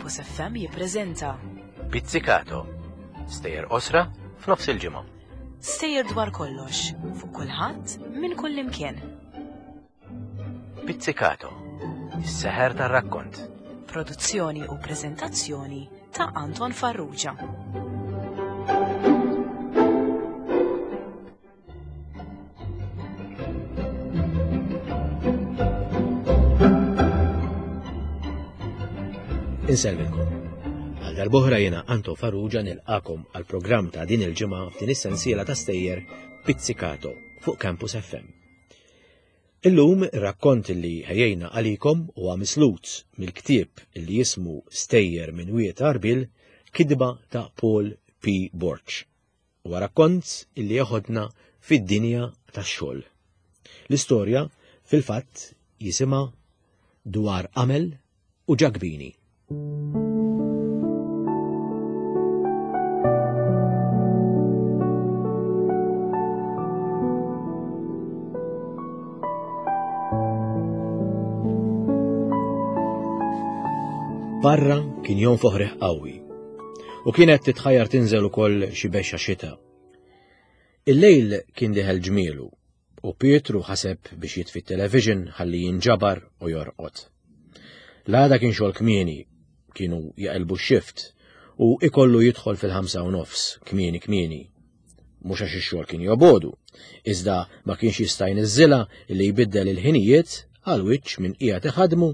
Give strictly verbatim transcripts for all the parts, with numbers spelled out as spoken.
Campus F M jippreżenta Pizzicato. Stejjer qosra f'nofs il-ġimgħa. Stejjer dwar kollox, fuq kulħadd, minn kull imkien. Pizzicato. Is-seħer tar-rakkont. Produzzjoni u preżentazzjoni ta' Anton Farrugia. Insellmilkom. Għal darb'oħra jiena Anton Farrugia nilqakom għal programm ta' din il-ġimgħa f'din is-sensiela ta' stejjer Pizzicato fuq Campus F M. Illum ir-rakkont li ħejjejna għalikom huwa mislut mill-ktieb li jismu Stejjer minn Wied Għarbiel, kitba ta' Paul P. Borg. Huwa rakkont illi jeħodna fid-dinja tax-xogħol. L-istorja fil-fatt jisimha Dwar Qamel u Ġakbini. Barra kien jonfoħ riħ qawwi u kienet titħajjar tinżel ukoll xi bexxa xita. Il-lejl kien diħel ġmielu u Pietru ħaseb biex jitfi t-television ħalli jinġabar u jorqod. L-għada kien xogħol kmieni, kienu jaqilbu x-shift u ikollu jidħol fil-ħamsa u nofs kmieni kmieni. Mhux għax ix-xogħol kien jobodu, iżda ma kienx jista' jniżżilha li jbiddel il-ħinijiet għal wiċċ minn qiegħed iħadmu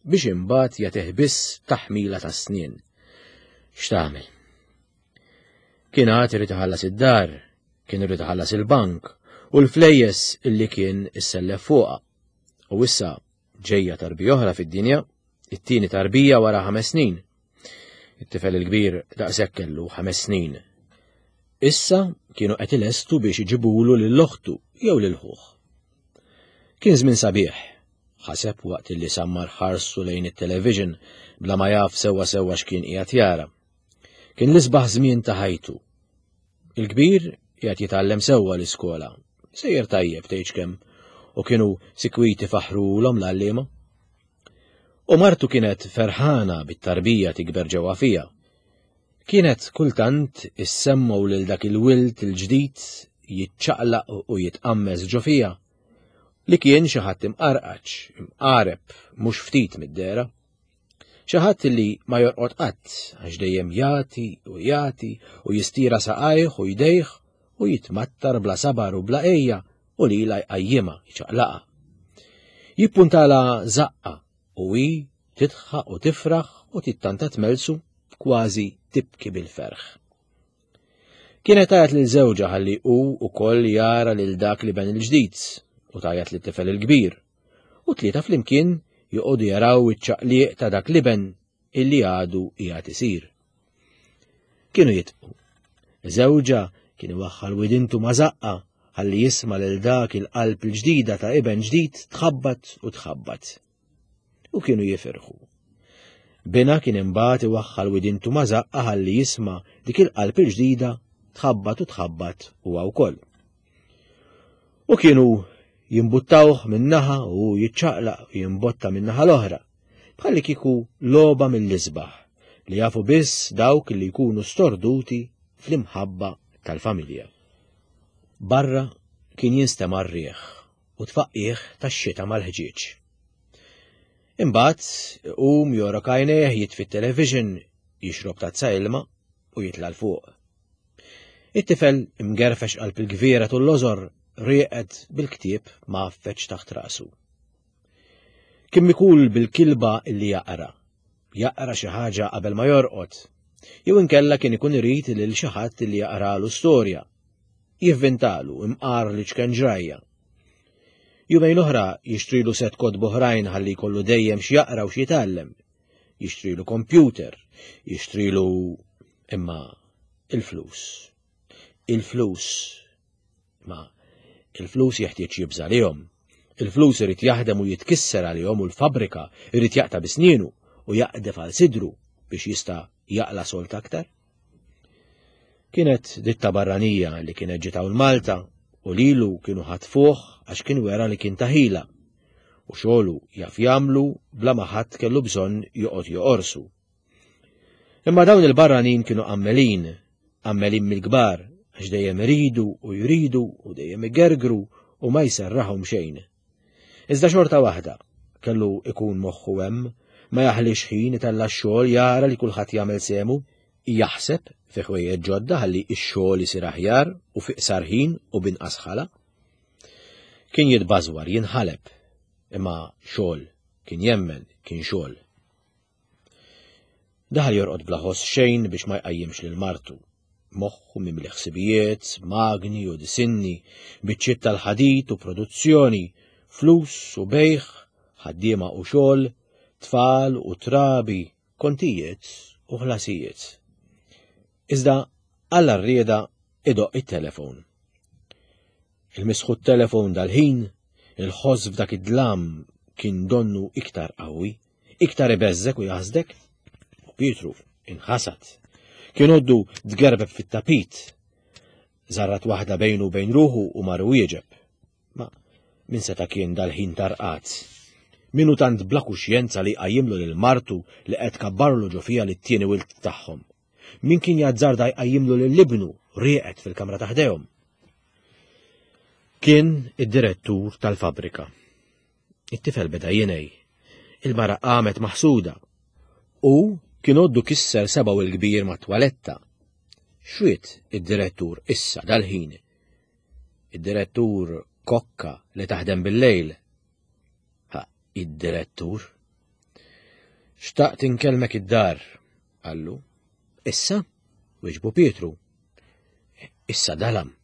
biex imbagħad jagħtih biss taħmila ta' snien. X'tagħmel? Kien għad irid iħallas id-dar, kien irid iħallas il-bank u l-flejjes illi kien issellef fuqha. U issa ġejja tarbija oħra fid-dinja, it-tieni tarbija wara ħames snin. It-tifel il-kbir daqshekk kellu ħames snin. Issa kienu qed ilestu biex iġibulu lil oħtu jew lil ħuh. Kien żmien sabiħ, ħaseb waqt li sammar ħarsu lejn it-television bla ma jaf sewwa sewwa x'kien qiegħed jara. Kien l-isbaħ żmien ta' ħajtu. Il-kbir qiegħed jitgħallem sewwa l-iskola, sejjer tajjeb tgħidx kemm, u kienu sikwiti faħrulhom l-għalliema. U martu kienet ferħana bit-tarbija tikber ġewwa fija. Kienet kultant issemmu lil dak il-wild il-ġdid jiċċaqlaq u jitqammeż ġo fija, li kien xi ħadd imqarqaċ, imqareb, mhux ftit mid-dehra. Xi ħadd li ma jorqod qatt għax dejjem jagħti u jagħti u jistira saqajh u jdejh u jitmattar bla sabar u bla ejja u lila jqajjimha jċaqlaqha. Jippuntala żaqqa u hi tidħaq u tifraħ u tittanta tmelsu kważi tibki bil-ferħ. Kienet għajat lil żewġha ħalli hu wkoll jara lil dak li ben il-ġdid u tajat lit tifel il-kbir, u tlieta flimkien joqogħdu jaraw iċ-ċaqliq ta' dak liben illi għadu qiegħed isir. Kienu jitqu. Żewġha kien iwaħħal widintu ma' żaqqa ħalli jisma' lil dak il-qalb il-ġdida ta' iben ġdid tħabbat u tħabbat. U kienu jifirħu. Bina kien imbagħad iwaħħal widintu ma' żaqqa ħalli jisma' dik il-qalb il-ġdida tħabbat u tħabbat huwa wkoll. U kienu jimbuttawh min-naħa u jiċċaqlaq u jimbotta min-naħa l-oħra, bħalli kieku logħba mill-isbaħ li jafu biss dawk li jkunu storduti fl-imħabba tal-familja. Barra kien jinstema' r-riħ u tfaqqih tax-xita mal-ħġieġ. Imbagħad iqum jorok għajnejh, jitfi t-television, jixrob tazza ilma u jitla' l fuq. It-tifel imgerfex qalb il-gviera tul l-lożor rieqed bil-ktieb ma għaffeċ taħt rasu. Kien mikul bil-kilba illi jaqra, jaqra xi ħaġa qabel ma jorqod, jew inkella kien ikun irid lil xi ħadd illi jaqralu storja, jivvintalu imqar li ċken ġrajja. Jumejn oħra jixtrilu set kotb oħrajn ħalli jkollu dejjem x'jaqra u x'jitgħallem, jixtrilu computer, jixtrilu imma il-flus. Il-flus. Ma il-flus jeħtieġ jibża' għalihom. Il-flus irid jaħdem u jitkisser għalihom u l-fabrika irid jaqta' bisnienu u jaqdef għal sidru biex jista' jaqla' solt aktar. Kienet ditta barranija li kienet ġiet hawn Malta u lilu kienu ħatfuh għax kien wera li kien taħila u xogħlu jaf jagħmlu bla ma ħadd kellu bżonn joqgħod joqorsu. Imma dawn il-barranin kienu qammelin, qammelin mill-kbar, għax dejjem iridu u jridu u dejjem igergru u ma jserraħhom xejn. Iżda xorta waħda, kellu ikun moħħu hemm, ma jaħlix ħin itella' x-xogħol jara li kulħadd jagħmel sehmu, jaħseb fi ħwejjeġ ġodda ħalli x-xogħol isir aħjar u fi qsar ħin u b'inqas ħala. Kien jitbażwar, jinħaleb, imma xogħol kien jemmen kien xogħol. Daħal jorqod bla ħoss xejn biex ma jqajjimx lil martu. Moħħu mimli ħsibijiet, magni u disinni, biċċiet tal-ħadid u produzzjoni, flus u bejgħ, ħaddiema u xogħol, tfal u trabi, kontijiet u ħlasijiet. Iżda għalla rrieda idoqq it-telefon. Il-misħu telefon dal-ħin, il-ħoss f'dak id-dlam kien donnu iktar qawwi, iktar ibeżżek u jaħsdek. U Pietru inħasad. Kien għoddu tgerbeb fit-tapit. Żarrat waħda bejnu bejn ruħu u mar wieġeb. Ma min seta' kien dal-ħin tarqat? Min hu tant bla kuxjenza li jqajjimlu lil martu li qed kabbarlu ġo fiha lit-tieni wild tagħhom? Min kien jazzarda jqajjimlu lil ibnu rieqed fil-kamra ta' ħdejhom? Kien id-direttur tal-fabrika. It-tifel beda jinej. Il-mara qamet maħsuda. U kien għoddu kisser sebgħu il-kbir ma' twaletta. Xwiet id-direttur issa dal-ħin? Id-direttur kokka li taħdem bil-lejl. Ha, id-direttur. Xtaqt inkellmek id-dar, qallu. Issa, wieġbu Pietru. Issa dalam.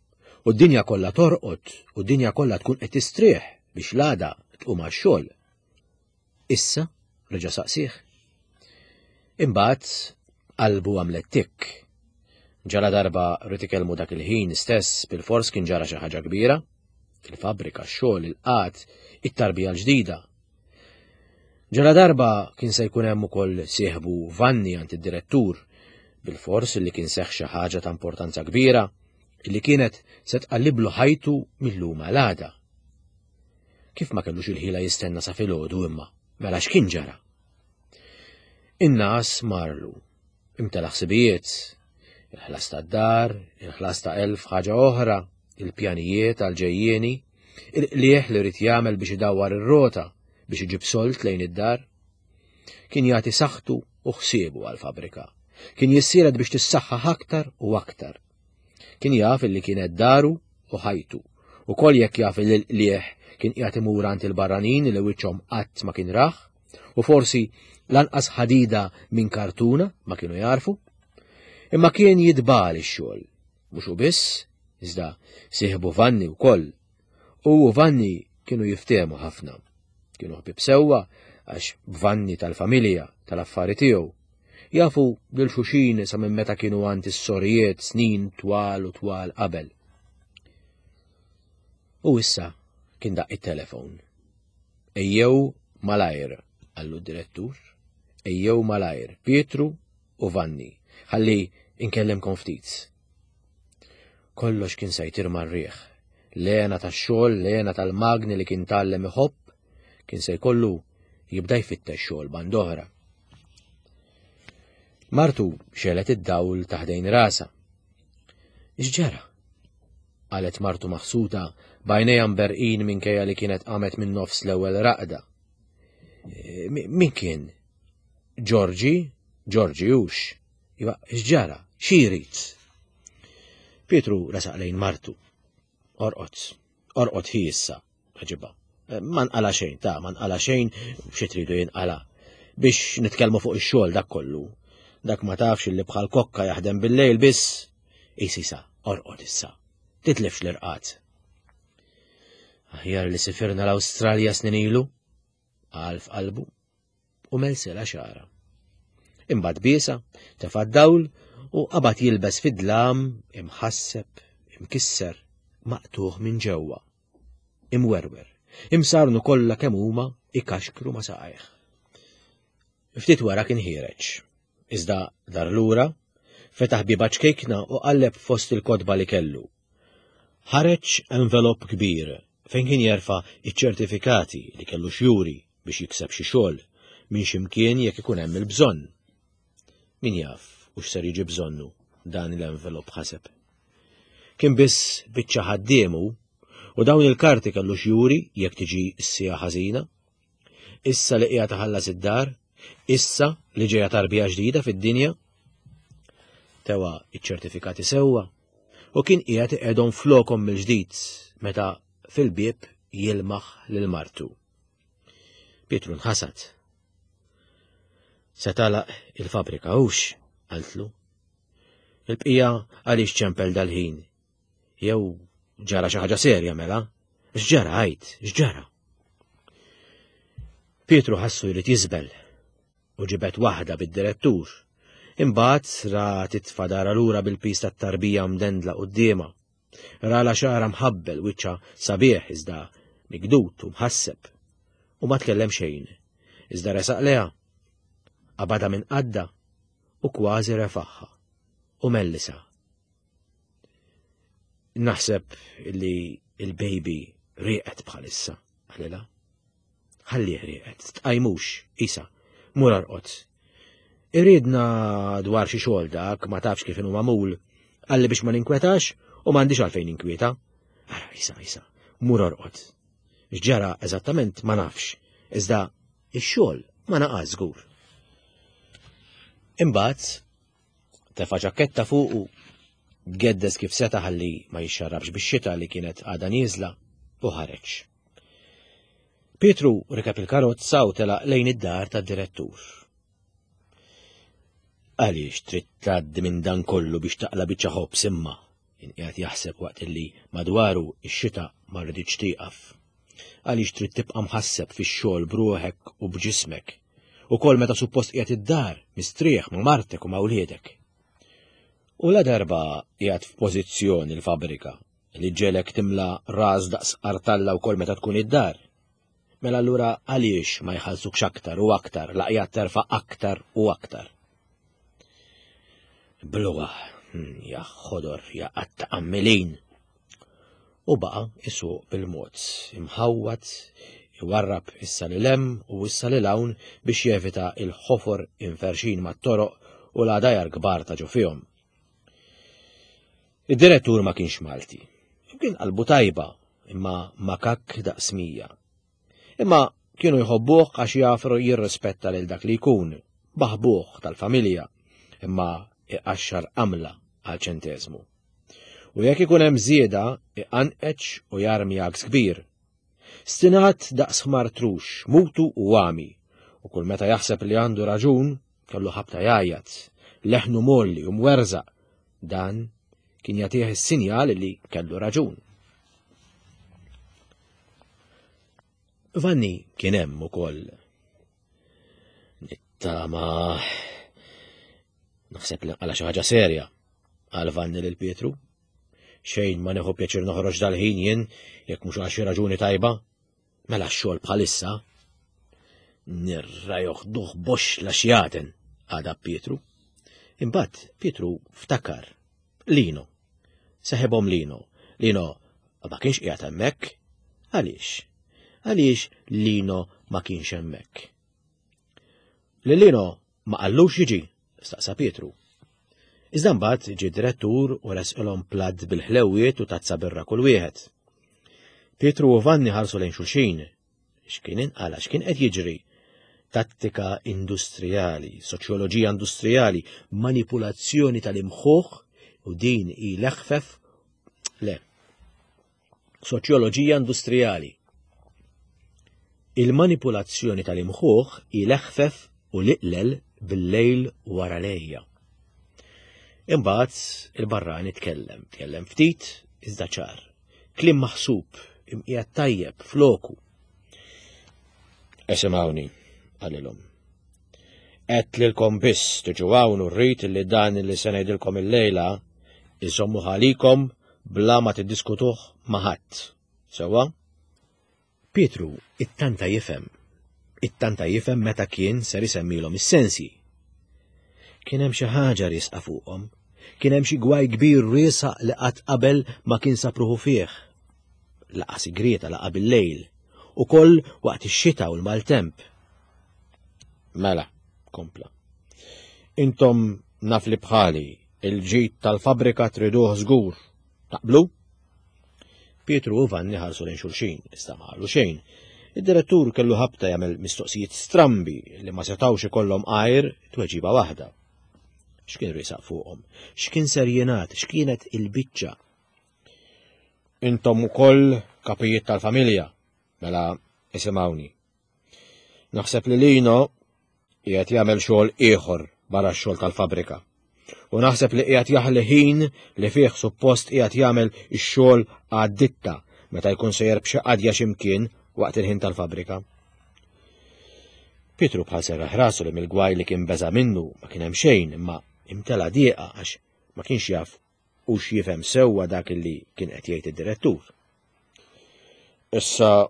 U d-dinja kollha torqod, u d-dinja kollha tkun qed tistrieħ biex l-għada tqum għax-xogħol. Issa, reġa' saqsih. Imbagħad qalbu għamlet tikk. Ġara darba rrid ikellmu dak il-ħin stess bil-fors kien ġara xi ħaġa kbira. Il-fabbrika, x-xogħol, il-qgħad, it-tarbija l-ġdida. Ġara darba kien se jkun hemm ukoll sieħbu Vanni għand id-direttur, bil-fors li kien seħħ xi ħaġa ta' importanza kbira illi kienet se tqalliblu ħajtu mill-lum għal għada. Kif ma kellux il-ħila jistenna sa filgħodu imma, mela x'kien ġara? In-nas marlu, imtela ħsibijiet, il-ħlas tad-dar, il-ħlas ta' elf ħaġa oħra, il-pjanijiet għal-ġejjieni, il-qlieħ li rrid jagħmel biex idawwar ir-rota biex iġib solt lejn id-dar. Kien jagħti saħħtu u ħsiebu għall-fabrika. Kien jissielet biex tissaħħaħ aktar u aktar. Kien jaf illi kienet daru u ħajtu. U kol jekk jaf illi l-qlieħ kien qiegħed imur għand il-barranin li wiċċhom qatt ma kien rah, u forsi lanqas ħadida minn kartuna ma kienu jarfu. Imma kien jitbal ix-xogħol. Mhux hu biss, iżda sieħbu Vanni wkoll. U Vanni kienu jiftehmu ħafna. Kienu ħbieb sewwa għax Vanni tal-familja, tal-affari tiegħu. Jafu lil xulxin sa minn meta kienu għand is-sorijiet snin twal u twal qabel. U issa kien daqq it-telefon. Ejjew malajr, qallu d-direttur. Ejjew malajr, Pietru u Vanni, ħalli inkellimkom ftit. Kollox kien se jtir mar-riħ. L-hena tax-xogħol, l-hena tal-magni li kien tgħallem iħobb, kien se jkollu jibda jfittex xogħol band'oħra. Martu xegħlet id-dawl ta' ħdejn rasha. X'ġara? Qalet martu maħsuta b'għajnejha mberqin minkejja li kienet qamet minn nofs l-ewwel raqda. Min kien? Ġorġi? Ġorġi hux. Iva, x'ġara? Xi jrid? Pietru resaq lejn martu. Orqod, orqod hi issa, ħaġibha. Ma nqala xejn, ta' ma nqala xejn, xi tridu jinqala. Biex nitkellmu fuq ix-xogħol dak kollu. Dak ma tafx li bħal kokka jaħdem bil-lejl biss. Isisa, orqod issa. Titlifx l-irqad. Aħjar li sifirna l-Awstralja snin ilu, qal f'qalbu, u melsela xara. Imbagħad biesa, tefa' d-dawl u qabad jilbes fid-dlam, imħasseb, imkisser, maqtuħ minn ġewwa, imwerwer, imsarnu kollha kemm huma ikaxkru ma' saqajh. Ftit wara kien ħiereġ. Iżda dar lura, fetaħ bieba ċkejkna u qalleb fost il-kotba li kellu. Ħareġ envelop kbir fejn kien jerfa' iċ-ċertifikati li kellu xjuri biex jikseb xi xogħol minn xi mkien jekk ikun hemm il-bżonn. Min jaf, U x'ser jiġi bżonnu dan l-envelop ħaseb. Kien biss biċċa ħaddiemu u dawn il-karti kellu x'juri jekk tiġi s-sija ħażina. Issa li qiegħed taħallas id-dar, issa li ġejja tarbija ġdida fid-dinja. Tewa iċ-ċertifikati sewwa u kien qiegħed iqegħdhom flokhom mill-ġdid meta fil-bieb jilmaħ lil martu. Pietru nħasad. Se tagħlaq il-fabrika hux, qaltlu. Il-bqija għaliex ċempel dal-ħin. Jew ġara xi ħaġa serja mela? X'ġara għid, x'ġara? Pietru ħassu jrid jiżbel u ġibet waħda bid-direttur. Imbagħad ra titfa' dara lura bil-pis tat-tarbija mdendla quddiemha. Ra la xara mħabbel wiċċa sabiħ iżda migdut u mħasseb. U ma tkellem xejn. Iżda resaq leha. Qabadha minn qadda u kważi refaħħa u mellisa. Naħseb li il-baby rieqet bħalissa, qalilha. Ħallih rieqet, tqajmux, isa, mur arqod. Iridna dwar xi xogħol dak, ma tafx kif inhu magħmul, qalli biex ma ninkwetax u m'għandix għalfejn ninkwieta. Ara, isa, isa, mur arqod. X'ġara eżattament ma nafx, iżda ix-xogħol ma naqas żgur. Imbagħad tefa' ġaketta fuqu, geddes kif seta' ħalli ma jixxarrabx bix-xita li kienet għadha nieżla u ħareġ. Pietru rikeb il-karozza u telaq lejn id-dar tad-direttur. Għaliex trid tgħaddi minn dan kollu biex taqla' biċċa ħobż imma, kien qiegħed jaħseb waqt illi madwaru x-xita ma rriditx tieqaf. Għaliex trid tibqa' mħasseb fix-xogħol b'ruħek u b'ġismek, ukoll meta suppost qiegħed id-dar mistrieħ ma' martek u ma' wliedek. U la darba qiegħed f'pożizzjoni l-fabrika li ġelek timla ras daqs artalla wkoll meta tkun id-dar. Mela allura għaliex ma jħallsukx aktar u aktar, laqjat terfa' aktar u aktar. Bluha, ja ħodor, ja qatta qammilin. U baqa' isuq bil-mod, imħawwad, iwarrab issa lil hemm u issa lil hawn biex jevita il-ħofor inferxin mat-toroq u l-għadajar kbar ta' ġo fihom. Id-direttur ma kienx Malti. Kien qalbu tajba, imma makak daqs mija. Imma kienu jħobbuh għax jafru jirrispetta lil dak li jkun, baħbuh tal-familja, imma iqaxxar qamla għal ċenteżmu. U jekk ikun hemm żieda, iqanqeċ u jarmi għaks kbir. Stinat daqs ħmar trux, mutu u għami, u kull meta jaħseb li għandu raġun, kellu ħabta jgħajjat, leħnu molli u mwerżaq. Dan kien jagħtih is-sinjal li kellu raġun. Vanni kien hemm ukoll. Nittama naħseb li għala xi ħaġa serja, qal Vanni lil Pietru. Xejn ma nieħu pjaċir noħroġ dal-ħin jien jekk mhux għal xi raġuni tajba. Mela x-xogħol bħalissa. Nirra joħduh box la xjaten, għada Pietru. Imbagħad Pietru ftakar. Lino. Seħebhom Lino. Lino ma kienx qiegħed hemmhekk. Għaliex? Għaliex Lino ma kienx hemmhekk? Li Lino ma qallux jiġi, staqsa Pietru. Iżda mbagħad ġie direttur u resqilhom platt bil-ħlewiet u tazza birra kull wieħed. Pietru u Vanni ħarsu lejn xulxin. X'kien inqala, x'kien qed jiġri? Tattika industrijali, soċjoloġija industrijali, manipulazzjoni tal-imħuħ u din hi l-eħfef le. Soċjoloġija industrijali. Il-manipulazzjoni tal-imħuħ hi l-eħfef u l-iqlel bil-lejl wara lejja. Imbagħad il-barrani tkellem, tkellem ftit iżda ċar. Kliem maħsub, imqiegħed tajjeb floku. Esimgħuni, qalilhom. Għedt lilkom biss tiġu hawn u rrid li dan li se ngħidilkom illejla iżommu ħalikom bla ma tiddiskutuh ma' ħadd. Sewwa? Pietru ittanta jifhem. Ittanta jifhem meta kien ser isemmilhom is-sensi. Kien hemm xi ħaġa riesqa fuqhom. Kien hemm xi gwaj kbir riesaq li qatt qabel ma kien sapruħu fih. Laqa sigrieta laqa bil-lejl, ukoll waqt ix-xita u l-maltemp. Mela, kompla. Intom naf li bħali, il-ġid tal-fabrika triduh żgur. Taqblu? Pietru u Vanni ħarsu lejn xulxin, iżda ma qalu xejn. Id-direttur kellu ħabta jagħmel mistoqsijiet strambi li ma setgħux ikollhom għajr tweġiba waħda. X'kien risaq fuqhom? X'kien ser jingħad? X'kienet il-biċċa? Intom ukoll kapijiet tal-familja, mela isimgħuni. Naħseb li Lino qiegħed jagħmel xogħol ieħor barra x-xogħol tal-fabrika. U naħseb li qiegħed jaħli ħin li fih suppost qiegħed jagħmel ix-xogħol għad-ditta meta jkun sejjer b'xi qadja x'imkien waqt il-ħin tal-fabrika. Pietru bħal serraħ rasu li mill-gwaj li kien beża minnu ma kien hemm xejn imma imtela dieqa għax ma kienx jaf u x'jifhem sewwa dak li kien qed jgħid id-direttur. Issa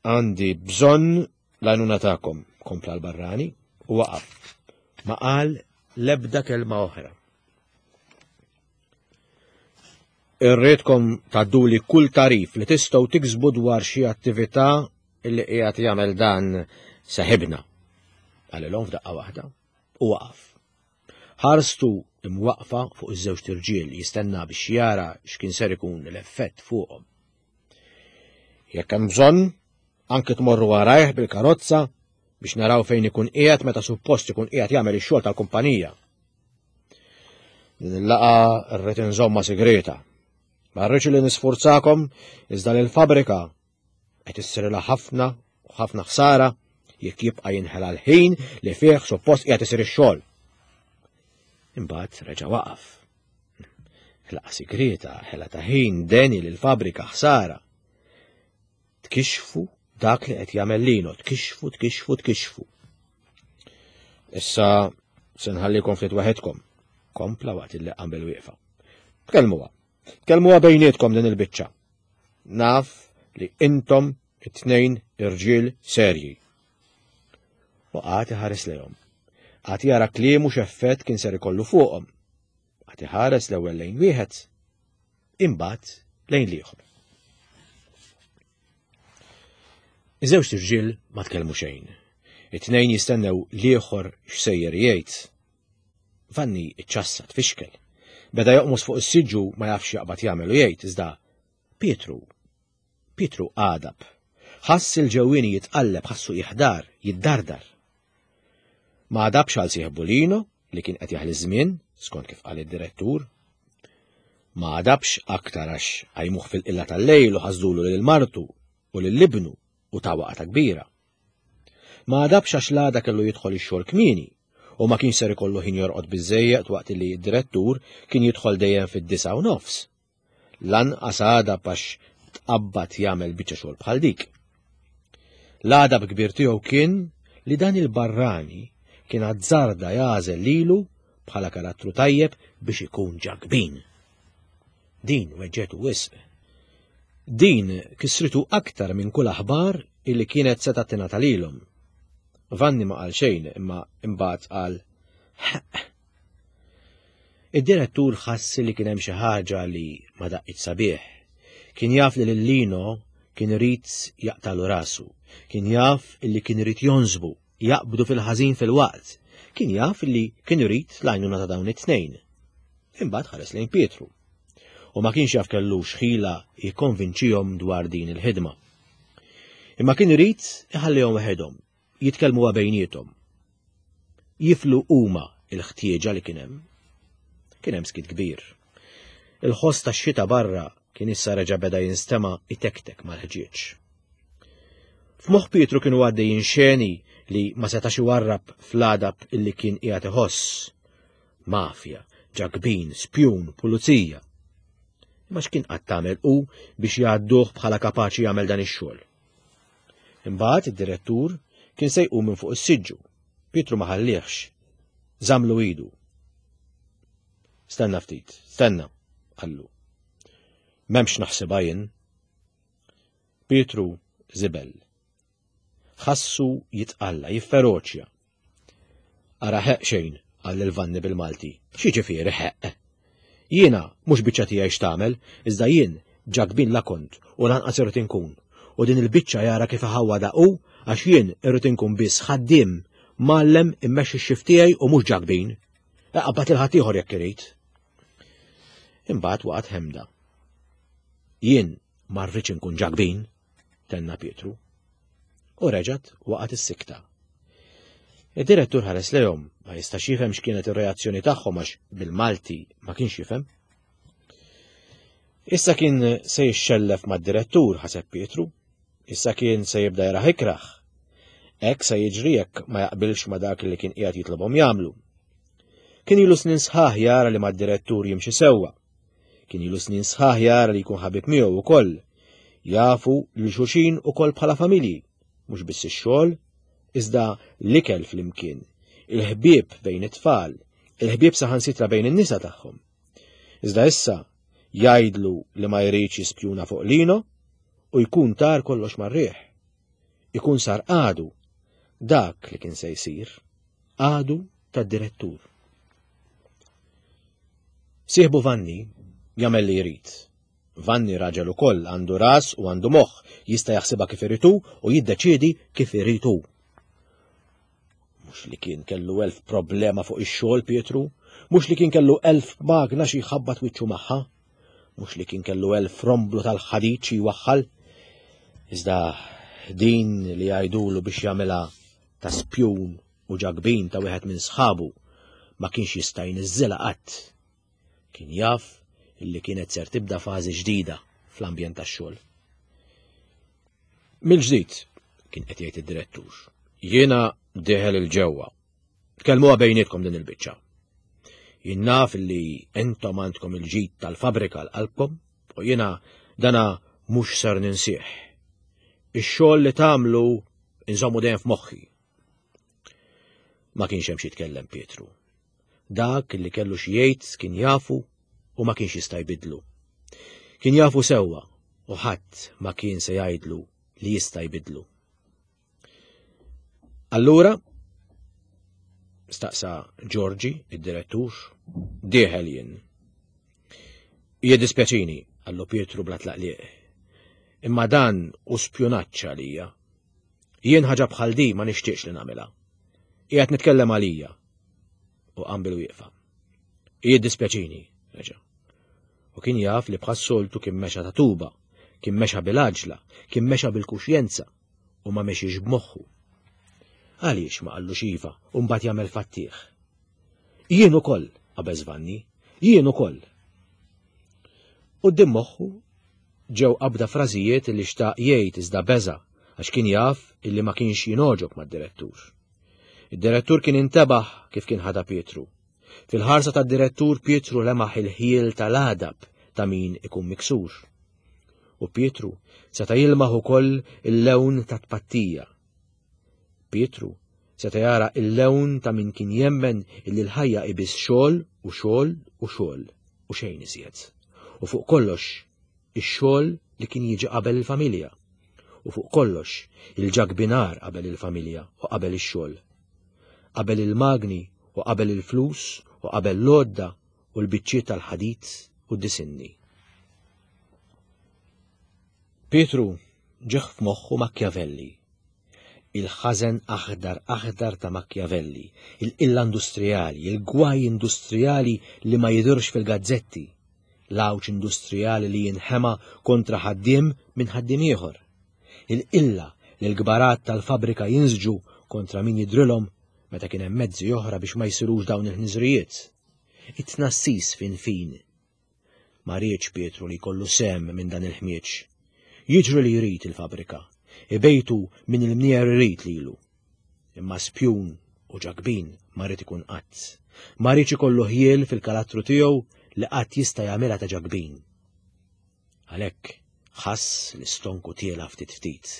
għandi bżonn l-għajnuna tagħkom, kompla l-barrani u waqaf. Ma qal l-ebda kelma oħra. Irridkom tgħadduli kull tarif li tistgħu tiksbu dwar xi attività li qiegħed jagħmel dan seħibna. Qalilhom f'daqqa waħda u waqaf. Ħarstu imwaqfa fuq iż-żewġ irġiel jistenna biex jara x'kien ser ikun l-effett fuqhom. Jekk hemm bżonn, anke tmorru warajh bil-karozza biex naraw fejn ikun qiegħed meta suppost ikun qiegħed jagħmel ix-xogħol tal-kumpanija. Din il-laqgħa rrid inżomma segreta. Ma rridx li nisfurzakom iżda li l-fabrika qed issirilha ħafna u ħafna ħsara jekk jibqa' jinħela l-ħin li fih suppost qiegħed isir ix-xogħol. Imbagħad reġa' waqaf. Laqa segreta, ħela ta' ħin, deni lill-fabrika ħsara. Tkixxfu dak li qed jagħmel Lino, tkixxfu, tkixxfu, tkixxfu. Issa se nħallikom ftit waħedkom, kompla waqt li qam bil-wieqfa. Tkellmuha. Tkellmuha bejnietkom din il-biċċa. Naf li intom it-tnejn irġiel serji. U qagħad iħares lejhom. Qagħad jara kliemu x'effett kien ser ikollu fuqhom. Qagħad iħares l-ewwel lejn wieħed, imbagħad lejn l-ieħor. Iż-żewġ irġiel ma tkellmu xejn. It-tnejn jistennew l-ieħor x'sejjer jgħid. Vanni iċċassa tfixkel. Beda joqmos fuq is-siġġu ma jafx jaqbad jagħmel u jgħid iżda Pietru, Pietru għadab. Ħass il-ġewwieni jitqalleb, ħassu jiħdar, jiddardar. Ma għadabx għal sieħbu Lino li kien qed jaħli żmien, skont kif qal id-direttur. Ma għadabx aktar għax qajmuh fil-qilla tal-lejl u ħasdulu lil martu u lil ibnu u ta' waqta kbira. Ma għadabx għax l-għada kellu jidħol ix-xogħol kmieni u ma kienx ser ikollu ħin jorqod biżżejjed waqt li d-direttur kien jidħol dejjem fid-disgħa u nofs. Lanqas għadab għax tqabbad jagħmel biċċa xogħol bħal dik. L-għadab kbir tiegħu kien li dan il-barrani kien azzarda jagħżel lilu bħala karattru tajjeb biex ikun ġakbin. Din weġġetu wisq. Din kisritu aktar minn kull aħbar illi kienet setgħet tingħata lilhom. Vanni ma qal xejn imma imbagħad qal ħeqq. Id-direttur ħass li kien hemm xi ħaġa li ma daqqitx sabiħ. Kien jaf li lil Lino kien irid jaqtalu rasu. Kien jaf illi kien irid jonżbu, jaqbdu fil-ħażin fil-waqt. Kien jaf illi kien irid l-għajnuna ta' dawn it-tnejn. Imbagħad ħares lejn Pietru. U ma kienx jaf kellux ħila jikkonvinċihom dwar din il-ħidma. Imma kien irid iħallihom waħedhom, jitkellmu bejniethom. Jiflu huma il-ħtieġa li kien hemm. Kien hemm skit kbir. Il-ħoss tax-xita barra kien issa reġa' beda jinstema' itektek mal-ħġieġ. F'moħħ Pietru kienu għaddejjin xeni li ma setax iwarrab fl-għadab illi kien qiegħed iħoss. Mafja, ġakbin, spjun, pulizija. Imma x'kien qatt tagħmel hu biex jgħadduh bħala kapaċi jagħmel dan ix-xogħol. Imbagħad id-direttur kien se jqum minn fuq is-siġġu. Pietru ma ħallihx. Żamlu idu. Stenna ftit, stenna, qallu. M'hemmx naħsibha jien. Pietru żibel. Ħassu jitqalla, jifferoċja. Ara ħeq xejn, qal lil Vanni bil-Malti. X'jiġifieri ħeq? Jiena mhux biċċa tiegħi x'tagħmel, iżda jien ġakbin la kont u lanqas irrid inkun. U din il-biċċa jara kif iħawwadha hu għax jien irrid inkun biss ħaddiem mgħallem immexxi x-xift tiegħi u mhux ġakbin. Iqabbad lil ħaddieħor jekk irid. Imbagħad waqgħet ħemda. Jien ma rridx inkun ġakbin, tenna Pietru. U reġgħet waqgħet is-sikta. Id-direttur ħares lejhom, ma jistax jifhem x'kienet ir-reazzjoni tagħhom għax bil-Malti ma kienx jifhem. Issa kien se jixxellef mad-direttur, ħaseb Pietru. Issa kien se jibda jaraħ ikraħ. Hekk se jiġri jekk ma jaqbilx ma dak li kien qiegħed jitlobhom jagħmlu. Kien ilu snin sħaħ jara li mad-direttur jimxi sewwa. Kien ilu snin sħaħ jara li jkun ħabib miegħu wkoll. Jafu lil xulxin ukoll bħala familji, mhux biss ix-xogħol, iżda l-ikel flimkien, il-ħbieb bejn it-tfal, il-ħbieb saħansitra bejn in-nisa tagħhom. Iżda issa jgħidlu li ma jridx jispjuna fuq Lino u jkun tar kollox mar-riħ. Ikun sar għadu dak li kien se jsir, għadu tad-direttur. Sieħbu Vanni jagħmel li jrid. Vanni raġel ukoll għandu ras u għandu moħħ, jista' jaħsibha kif irid hu u jiddeċiedi kif irid hu. Mhux li kien kellu elf problema fuq ix-xogħol Pietru, mhux li kien kellu elf magna xi jħabbat wiċċu magħha, mhux li kien kellu elf romblu tal-ħadid xi jwaħħal. Iżda din li jgħidulu biex jagħmilha ta' spjun u ġakbin ta' wieħed minn sħabu ma kienx jista' jniżżilha qatt. Kien jaf illi kienet ser tibda fażi ġdida fl-ambjent tax-xogħol. Mill-ġdid, kien qed jgħid id-direttur, jiena dieħel il-ġewwa. Tkellmuha bejnietkom din il-biċċa. Jien naf li intom għandkom il-ġid tal-fabrika l-qalbkom u jiena dana mhux ser ninsih. Ix-xogħol li tagħmlu inżommu dejjem f'moħħi. Ma kienx hemm xi jitkellem Pietru. Dak li kellu xi jgħid kien jafu u ma kienx jista' jbidlu. Kien jafu sewwa u ħadd ma kien se jgħidlu li jista' jbidlu. Allura, staqsa Giorgi, id-direttur, dieħel jien. Jiddispjaċini, qallu Pietru bla tlaqliq. Imma dan u spjunaġġ għalija. Jien ħaġa bħal di ma nixtieqx li nagħmilha. Qiegħed nitkellem għalija. U qam bil-wieqfa. Jiddispjaċini, reġa'. U kien jaf li bħas-soltu kien mexa ta' tuba, kien mexa bil-għaġla, kien mexa bil-kuxjenza u ma mexiex b'moħħu. Għaliex ma qallux iva u mbagħad jagħmel fattieħ? Jien ukoll, qabeż Vanni, jien ukoll. Quddiem moħħu ġew qabda frażijiet li xtaq jgħid iżda beża' għax kien jaf illi ma kienx jingħoġob mad-direttur. Id-direttur kien intebaħ kif kien ħada Pietru. Fil-ħarsa tad-direttur Pietru lemaħ il-ħjiel tal-għadab ta' min ikun miksur. U Pietru seta' jilmaħ ukoll il-lewn ta' tpattija. Pietru seta' jara il-lewn ta' min kien jemmen illi l-ħajja ibis xogħol u xogħol u xogħol u xejn iżjed. U fuq kollox ix-xogħol li kien jiġi qabel il-familja. U fuq kollox il-ġagbinar qabel il-familja u qabel ix-xogħol. Qabel il-magni u qabel il-flus u qabel l-għodda u l-biċċiet tal-ħadid u d-disinni. Pietru ġeħ f'moħħu Machiavelli. Il-ħażen aħdar aħdar ta' Machiavelli, il-qilla industrijali, il-gwaj industrijali li ma jidhirx fil-gazzetti, l-għawġ industrijali li jinħema kontra ħaddiem minn ħaddiem ieħor, il-qilla li l-kbarat tal-fabrika jinżġu kontra min jidrilhom meta kien hemm mezzi oħra biex ma jsirux dawn il-ħniżrijiet. It-tnassis fin fin. Ma riedx Pietru li jkollu sem minn dan il-ħmieġ. Jiġri li jrid il-fabrika, ibejtu minn il-mnier irid lilu. Imma spjun u ġakbin ma ried ikun qatt. Ma riedx ikollu ħjiel fil-karattru tiegħu li qatt jista' jagħmilha ta' ġakbin. Għalhekk ħass l-istonku tiela ftit ftit.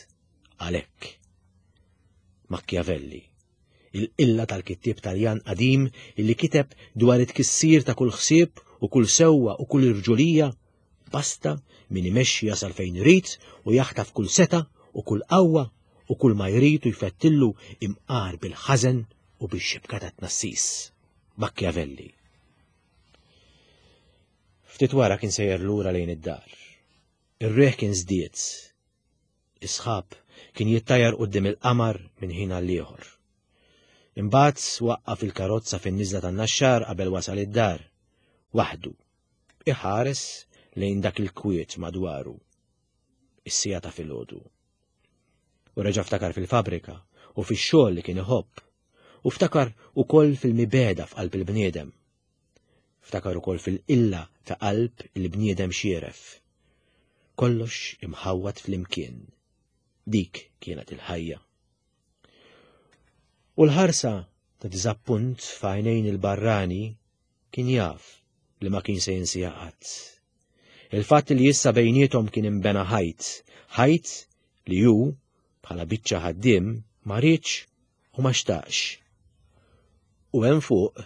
Għalhekk. Machiavelli, il-qilla tal-kittieb Taljan qadim illi kiteb dwar it-tkissir ta' kull ħsieb u kull sewwa u kull irġulija, basta min imexxi jasal fejn irid u jaħtaf kull seta u kull qawwa u kull ma jrid u jfettillu imqar bil-ħażen u bix-xibka ta' tnassis. Machiavelli. Ftit wara kien sejjer lura lejn id-dar. Ir-riħ kien żdied. Is-sħab kien jittajar quddiem il-qamar minn ħin għal ieħor. Imbagħad waqqaf il-karozza fin-niżla tan-Naxxar qabel wasal id-dar. Waħdu, iħares lejn dak il-kwiet madwaru. Is-siegħa ta' filgħodu. U reġa' ftakar fil-fabrika u fix-xogħol li kien iħobb. U ftakar ukoll fil-mibegħda f'qalb il-bniedem. Ftakar ukoll fil-qilla ta' qalb il-bniedem xieref. Kollox imħawwad flimkien. Dik kienet il-ħajja. U l-ħarsa ta' diżappunt f'għajnejn il-barrani kien jaf li ma kien se jinsieha qatt. Il-fatt li issa bejniethom kien imbena ħajt, ħajt li hu bħala biċċa ħaddiem ma riedx u ma xtaqx. U hemm fuq,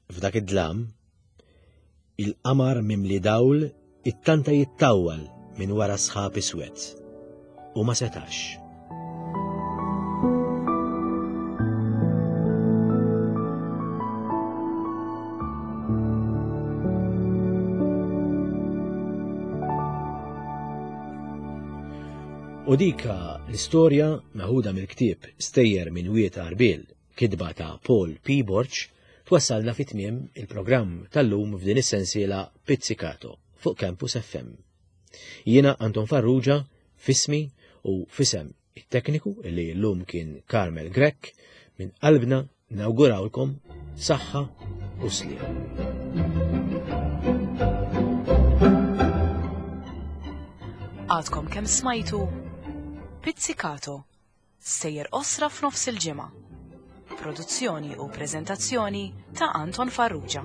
f'dak id-dlam, il-qamar mimli dawl ittanta jittawwal minn wara sħab iswed u ma setax. U dika l-istorja meħuda mill-ktieb Stejjer minn Wied Għarbiel, kitba ta' Paul P. Borg, twassalna fi tmiem il-programm tal-lum f'din is-sensiela Pizzicato fuq Campus F M. Jiena Anton Farrugia, f'ismi u f'isem it-tekniku illi llum kien Carmel Grech, minn qalbna nawgurawlkom saħħa u sliem. Għadkom kemm smajtu Pizzicato, stejjer qosra f'nofs il-ġimgħa. Produzzjoni u preżentazzjoni ta' Anton Farrugia.